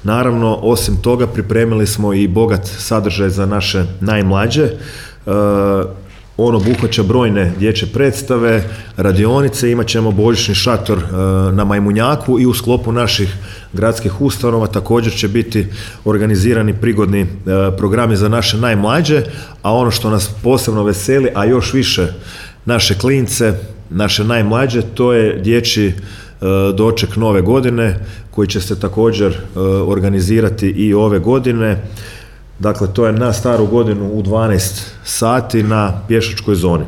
Naravno, osim toga pripremili smo i bogat sadržaj za naše najmlađe. On obuhvaća brojne dječje predstave, radionice, imat ćemo božićni šator na Majmunjaku i u sklopu naših gradskih ustanova također će biti organizirani prigodni programi za naše najmlađe, a ono što nas posebno veseli, a još više naše klince, naše najmlađe, to je dječji doček nove godine koji će se također organizirati i ove godine. Dakle, to je na staru godinu u 12 sati na pješačkoj zoni.